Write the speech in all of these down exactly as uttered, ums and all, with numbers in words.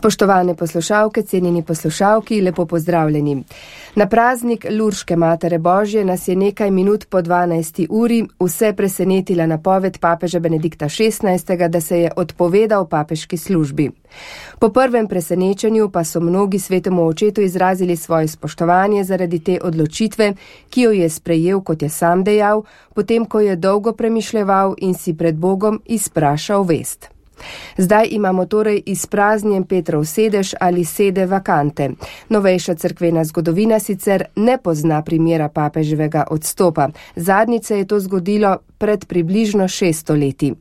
Spoštovane poslušalke, cenjeni poslušalki, lepo pozdravljeni. Na praznik Lurške Matere Božje nas je nekaj minut po dvanajsti uri vse presenetila napoved papeža Benedikta šestnajstega, da se je odpovedal papeški službi. Po prvem presenečenju pa so mnogi svetemu očetu izrazili svoje spoštovanje zaradi te odločitve, ki jo je sprejel, kot je sam dejal, potem ko je dolgo premišljeval in si pred Bogom izprašal vest. Zdaj imamo torej izpraznjen Petrov sedež ali sede vakante. Novejša cerkvena zgodovina sicer ne pozna primera papeževega odstopa. Zadnjič se je to zgodilo pred približno šeststo leti.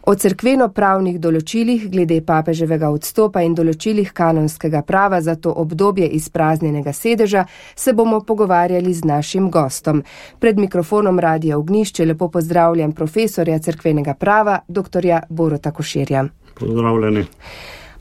O cerkveno-pravnih določilih glede papeževega odstopa in določilih kanonskega prava za to obdobje izpraznjenega sedeža se bomo pogovarjali z našim gostom. Pred mikrofonom Radia Ognjišče lepo pozdravljam profesorja cerkvenega prava, doktorja Boruta Koširja. Pozdravljeni.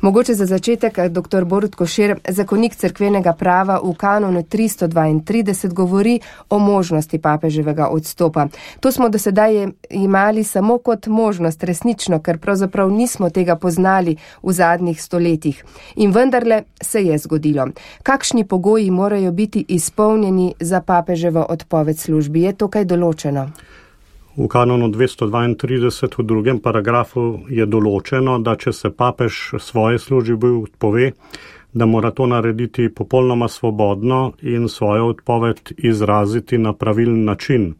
Mogoče za začetek, doktor Borut Košir, zakonik cerkvenega prava v kanonu tristo dvaintrideset govori o možnosti papeževega odstopa. To smo do sedaj imeli samo kot možnost, resnično, ker pravzaprav nismo tega poznali v zadnjih stoletjih. In vendarle se je zgodilo. Kakšni pogoji morajo biti izpolnjeni za papeževo odpoved službi? Je to kaj določeno? V kanonu dvesto dvaintrideset v drugem paragrafu je določeno, da če se papež svoje službe odpove, da mora to narediti popolnoma svobodno in svojo odpoved izraziti na pravilen način.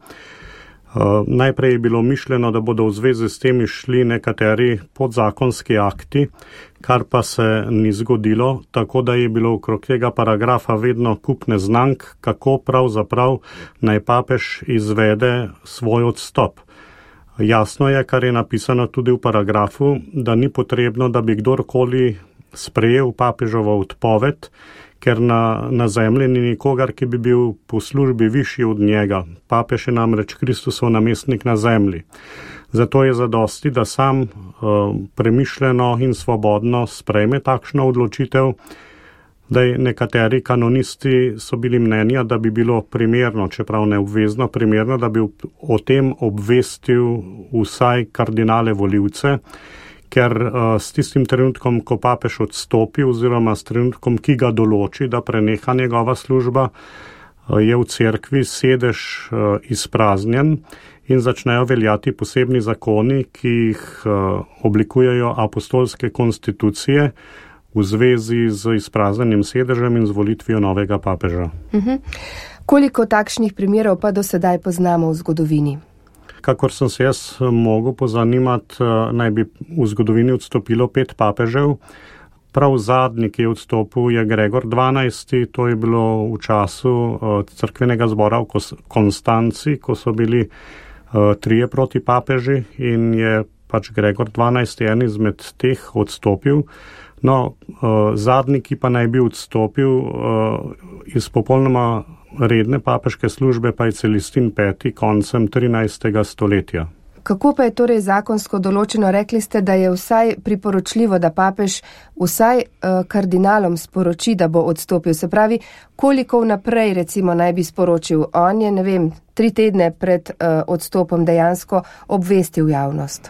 Uh, najprej je bilo mišljeno, da bodo v zvezi s tem išli nekateri podzakonski akti, kar pa se ni zgodilo, tako da je bilo okrog tega paragrafa vedno kup neznank, kako pravzaprav naj papež izvede svoj odstop. Jasno je, kar je napisano tudi v paragrafu, da ni potrebno, da bi kdorkoli sprejel papežovo odpoved, ker na, na zemlji ni nikogar, ki bi bil po službi višji od njega. Papež je namreč Kristusov namestnik na zemlji. Zato je zadosti, da sam uh, premišljeno in svobodno sprejme takšno odločitev. Da nekateri kanonisti so bili mnenja, da bi bilo primerno, čeprav ne obvezno primerno, da bi o tem obvestil vsaj kardinale volivce, ker uh, s tistim trenutkom, ko papež odstopi oziroma s trenutkom, ki ga določi, da preneha njegova služba, uh, je v cerkvi sedež uh, izpraznjen in začnejo veljati posebni zakoni, ki jih uh, oblikujejo apostolske konstitucije v zvezi z izpraznjenim sedežem in z volitvijo novega papeža. Uh-huh. Koliko takšnih primerov pa do sedaj poznamo v zgodovini? Kakor sem se jaz mogel pozanimati, naj bi v zgodovini odstopilo pet papežev. Prav zadnji, ki je odstopil, je Gregor dvanajsti. To je bilo v času cerkvenega zbora v Konstanci, ko so bili trije proti papeži in je pač Gregor dvanajsti en izmed teh odstopil. No, zadnji, ki pa naj bi odstopil iz popolnoma redne papeške službe, pa je Celestin peti koncem trinajstega stoletja. Kako pa je torej zakonsko določeno? Rekli ste, da je vsaj priporočljivo, da papež vsaj uh, kardinalom sporoči, da bo odstopil. Se pravi, koliko vnaprej recimo naj bi sporočil? On je, ne vem, tri tedne pred uh, odstopom dejansko obvestil javnost.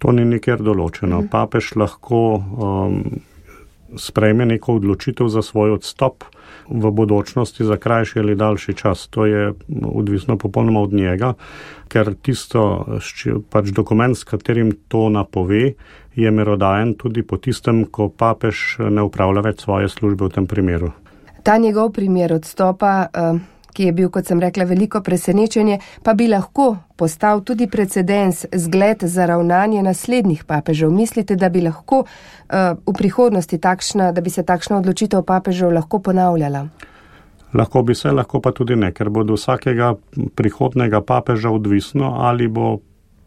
To ni nikjer določeno. Uh-huh. Papež lahko um, sprejme neko odločitev za svoj odstop v bodočnosti za krajši ali daljši čas. To je odvisno popolnoma od njega, ker tisto, pač dokument, s katerim to napove, je merodajen tudi po tistem, ko papež ne upravlja več svoje službe v tem primeru. Ta njegov primer odstopa, ki je bil, kot sem rekla, veliko presenečenje, pa bi lahko postal tudi precedens, zgled za ravnanje naslednjih papežev. Mislite, da bi lahko uh, v prihodnosti takšna, da bi se takšna odločitev papežev lahko ponavljala? Lahko bi se, lahko pa tudi ne, ker bo do vsakega prihodnega papeža odvisno, ali bo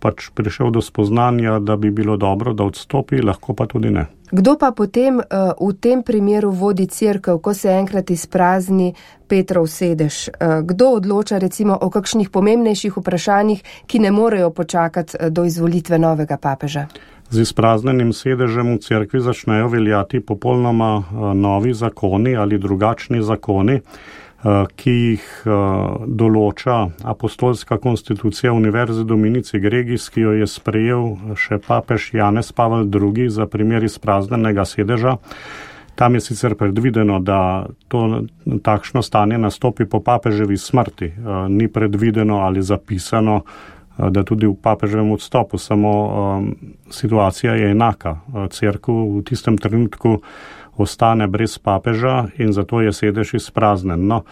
pač prišel do spoznanja, da bi bilo dobro, da odstopi, lahko pa tudi ne. Kdo pa potem uh, v tem primeru vodi cerkev, ko se enkrat izprazni Petrov sedež? Uh, kdo odloča recimo o kakšnih pomembnejših vprašanjih, ki ne morejo počakati uh, do izvolitve novega papeža? Z izpraznjenim sedežem v cerkvi začnejo veljati popolnoma uh, novi zakoni ali drugačni zakoni, uh, ki jih uh, določa apostolska konstitucija Univerze Dominici Gregis, ki jo je sprejel še papež Janez Pavel drugi za primer izpraznjenega sedeža. Tam je sicer predvideno, da to takšno stanje nastopi po papeževi smrti. Ni predvideno ali zapisano, da tudi v papeževem odstopu, samo situacija je enaka. Cerkev v tistem trenutku ostane brez papeža in zato je sedež izpraznen. No,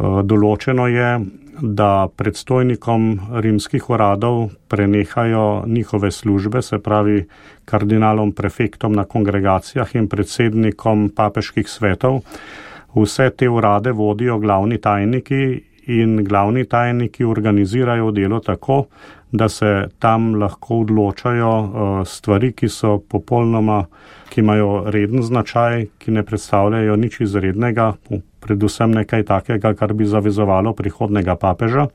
določeno je, da predstojnikom rimskih uradov prenehajo njihove službe, se pravi kardinalom prefektom na kongregacijah in predsednikom papeških svetov. Vse te urade vodijo glavni tajniki in glavni tajniki organizirajo delo tako, da se tam lahko odločajo stvari, ki so popolnoma, ki imajo reden značaj, ki ne predstavljajo nič izrednega, predvsem nekaj takega, kar bi zavezovalo prihodnega papeža.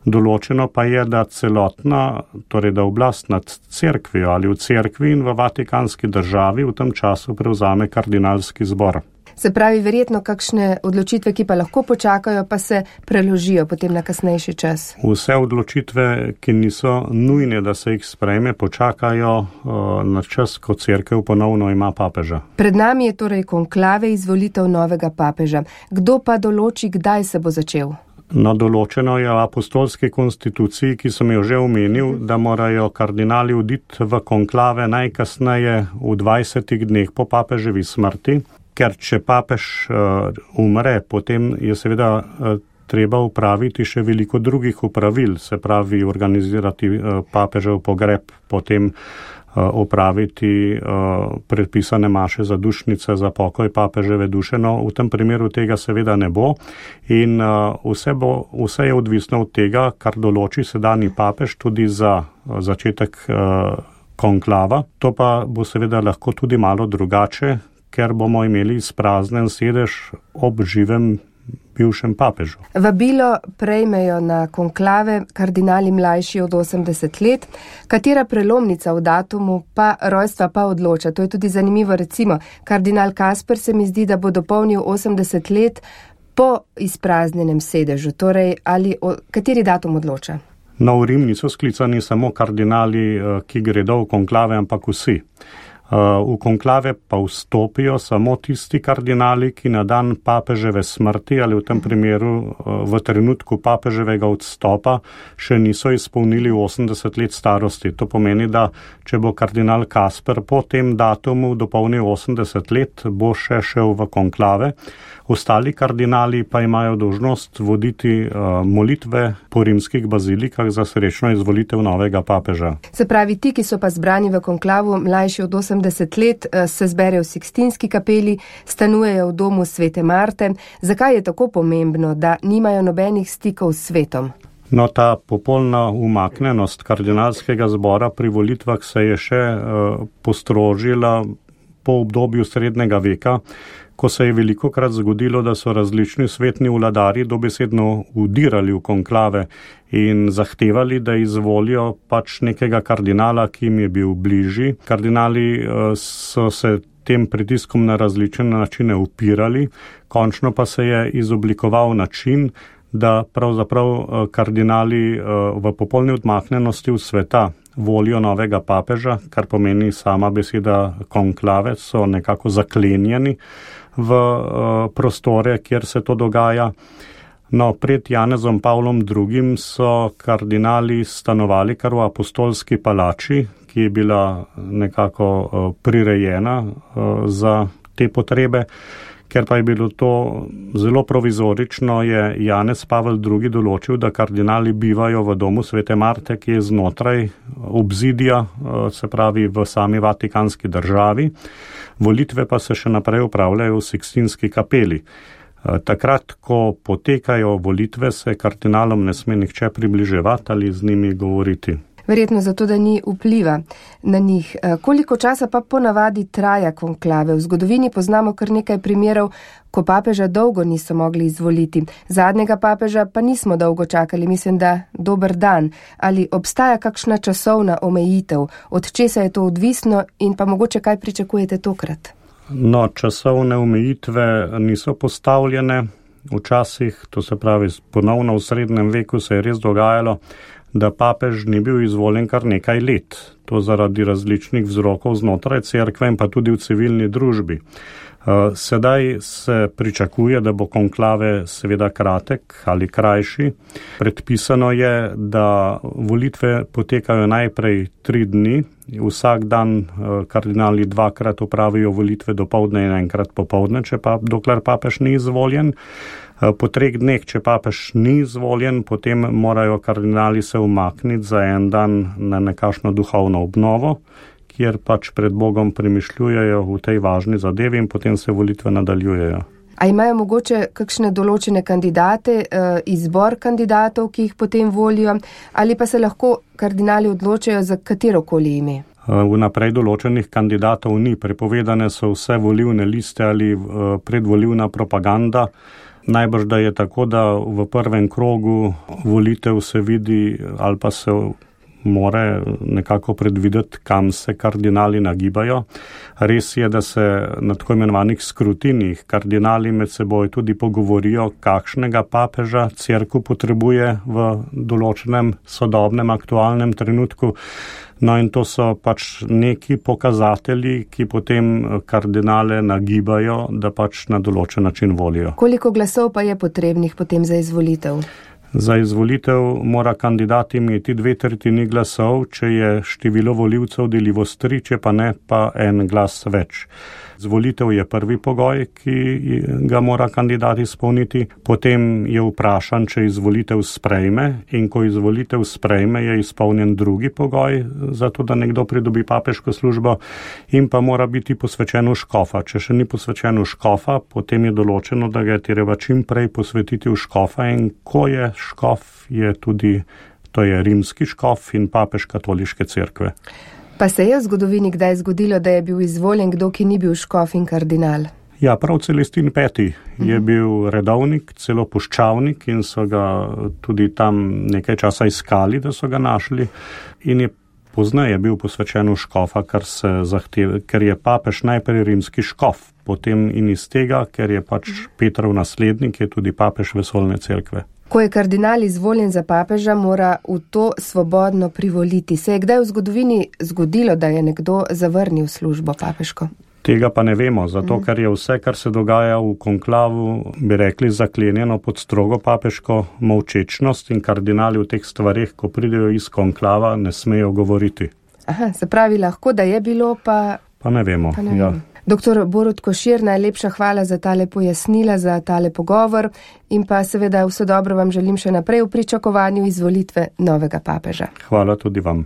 Določeno pa je, da celotna, torej da oblast nad cerkvijo ali v cerkvi in v vatikanski državi v tem času prevzame kardinalski zbor. Se pravi, verjetno kakšne odločitve, ki pa lahko počakajo, pa se preložijo potem na kasnejši čas. Vse odločitve, ki niso nujne, da se jih sprejme, počakajo uh, na čas, ko cerkev ponovno ima papeža. Pred nami je torej konklave izvolitev novega papeža. Kdo pa določi, kdaj se bo začel? No, določeno je v apostolski konstituciji, ki sem jo že omenil, da morajo kardinali oditi v konklave najkasneje v dvajsetih dneh po papeževi smrti. Ker če papež uh, umre, potem je seveda uh, treba upraviti še veliko drugih upravil, se pravi organizirati uh, papežev pogreb, potem uh, upraviti uh, predpisane maše za dušnice, za pokoj papeževe duše. No, v tem primeru tega seveda ne bo in uh, vse, bo, vse je odvisno od tega, kar določi sedanji papež tudi za uh, začetek uh, konklava. To pa bo seveda lahko tudi malo drugače, ker bomo imeli izpraznen sedež ob živem bivšem papežu. Vabilo prejmejo na konklave kardinali mlajši od osemdeset let, katera prelomnica v datumu pa rojstva pa odloča. To je tudi zanimivo, recimo, kardinal Kasper se mi zdi, da bo dopolnil osemdeset let po izpraznjenem sedežu. Torej, ali o, kateri datum odloča? No, v Rim niso sklicani samo kardinali, ki gredo v konklave, ampak vsi. V konklave pa vstopijo samo tisti kardinali, ki na dan papeževe smrti ali v tem primeru v trenutku papeževega odstopa še niso izpolnili osemdeset let starosti. To pomeni, da če bo kardinal Kasper po tem datumu dopolnil osemdeset let, bo še šel v konklave. Ostali kardinali pa imajo dolžnost voditi uh, molitve po rimskih bazilikah za srečno izvolitev novega papeža. Se pravi, ti, ki so pa zbrani v konklavu mlajši od osemdeset let, se zberejo v Sikstinski kapeli, stanujejo v domu Svete Marte. Zakaj je tako pomembno, da nimajo nobenih stikov s svetom? No, ta popolna umaknenost kardinalskega zbora pri volitvah se je še uh, postrožila po obdobju srednjega veka, ko se je velikokrat zgodilo, da so različni svetni vladarji dobesedno vdirali v konklave in zahtevali, da izvolijo pač nekega kardinala, ki jim je bil bližji. Kardinali so se tem pritiskom na različne načine upirali, končno pa se je izoblikoval način, da pravzaprav kardinali v popolni odmaknenosti v sveta volijo novega papeža, kar pomeni sama beseda konklave, so nekako zaklenjeni v prostore, kjer se to dogaja. No, pred Janezom Pavlom drugim so kardinali stanovali kar v apostolski palači, ki je bila nekako prirejena za te potrebe. Ker pa je bilo to zelo provizorično, je Janez Pavel drugi določil, da kardinali bivajo v domu Svete Marte, ki je znotraj obzidija, se pravi v sami vatikanski državi. Volitve pa se še naprej upravljajo v Sikstinski kapeli. Takrat, ko potekajo volitve, se kardinalom ne sme nihče približevati ali z njimi govoriti. Verjetno zato, da ni vpliva na njih. Koliko časa pa ponavadi traja konklave? V zgodovini poznamo kar nekaj primerov, ko papeža dolgo niso mogli izvoliti. Zadnjega papeža pa nismo dolgo čakali, mislim, da dober dan. Ali obstaja kakšna časovna omejitev? Od česa je to odvisno in pa mogoče kaj pričakujete tokrat? No, časovne omejitve niso postavljene. Včasih, to se pravi ponovno v srednjem veku, se je res dogajalo, da papež ni bil izvoljen kar nekaj let. To zaradi različnih vzrokov znotraj cerkve in pa tudi v civilni družbi. Sedaj se pričakuje, da bo konklave seveda kratek ali krajši. Predpisano je, da volitve potekajo najprej tri dni. Vsak dan kardinali dvakrat opravijo volitve dopoldne in enkrat popoldne, če pa dokler papež ni izvoljen. Po treh dneh, če papež ni izvoljen, potem morajo kardinali se umakniti za en dan na nekakšno duhovno obnovo, kjer pač pred Bogom premišljujejo v tej važni zadevi in potem se volitve nadaljujejo. A imajo mogoče kakšne določene kandidate, izbor kandidatov, ki jih potem volijo, ali pa se lahko kardinali odločajo za katerokoli ime? Vnaprej določenih kandidatov ni. Prepovedane so vse volilne liste ali predvolilna propaganda. Najbrž, da je tako, da v prvem krogu volitev se vidi ali pa se more nekako predvideti, kam se kardinali nagibajo. Res je, da se na tako imenovanih skrutinih kardinali med seboj tudi pogovorijo, kakšnega papeža cerkev potrebuje v določenem sodobnem aktualnem trenutku. No in to so pač neki pokazatelji, ki potem kardinale nagibajo, da pač na določen način volijo. Koliko glasov pa je potrebnih potem za izvolitev? Za izvolitev mora kandidat imeti dve tretjini glasov, če je število volivcev deljivo s tri, če pa ne, pa en glas več. Izvolitev je prvi pogoj, ki ga mora kandidat izpolniti, potem je vprašan, če izvolitev sprejme, in ko izvolitev sprejme, je izpolnjen drugi pogoj, zato da nekdo pridobi papeško službo, in pa mora biti posvečen v škofa. Če še ni posvečen v škofa, potem je določeno, da ga je treba čim prej posvetiti v škofa, in ko je škof, je tudi, to je rimski škof in papež katoliške cerkve. Pa se je v zgodovini kdaj zgodilo, da je bil izvoljen kdo, ki ni bil škof in kardinal? Ja, prav Celestin peti je bil redovnik, celo puščavnik, in so ga tudi tam nekaj časa iskali, da so ga našli, in je pozneje bil posvečen v škofa, kar se zahteva, ker je papež najprej rimski škof, potem in iz tega, ker je pač Petrov naslednik, je tudi papež vesoljne cerkve. Ko je kardinal izvoljen za papeža, mora v to svobodno privoliti. Se je kdaj v zgodovini zgodilo, da je nekdo zavrnil službo papeško? Tega pa ne vemo, zato ker je vse, kar se dogaja v konklavu, bi rekli, zaklenjeno pod strogo papeško molčečnost, in kardinali v teh stvareh, ko pridejo iz konklava, ne smejo govoriti. Aha, se pravi lahko, da je bilo, pa... Pa ne vemo, pa ne ja. Vem. Doktor Borut Košir, najlepša hvala za tale pojasnila, za tale pogovor, in pa seveda vse dobro vam želim še naprej v pričakovanju izvolitve novega papeža. Hvala tudi vam.